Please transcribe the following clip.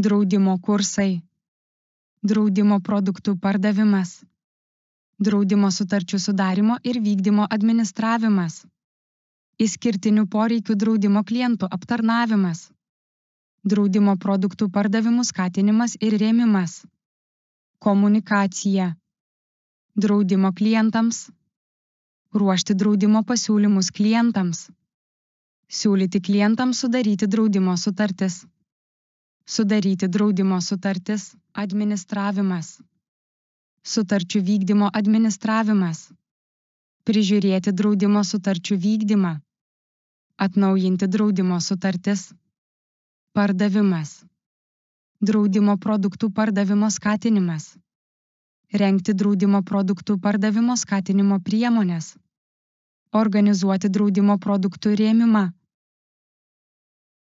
Draudimo kursai. Draudimo produktų pardavimas. Draudimo sutarčių sudarimo ir vykdymo administravimas. Išskirtinių poreikių draudimo klientų aptarnavimas. Draudimo produktų pardavimų skatinimas ir rėmimas. Komunikacija. Draudimo klientams. Ruošti draudimo pasiūlymus klientams. Siūlyti klientams sudaryti draudimo sutartis. Sudaryti draudimo sutartis, administravimas. Sutarčių vykdymo administravimas. Prižiūrėti draudimo sutarčių vykdymą. Atnaujinti draudimo sutartis. Pardavimas. Draudimo produktų pardavimo skatinimas. Rengti draudimo produktų pardavimo skatinimo priemonės. Organizuoti draudimo produktų rėmimą.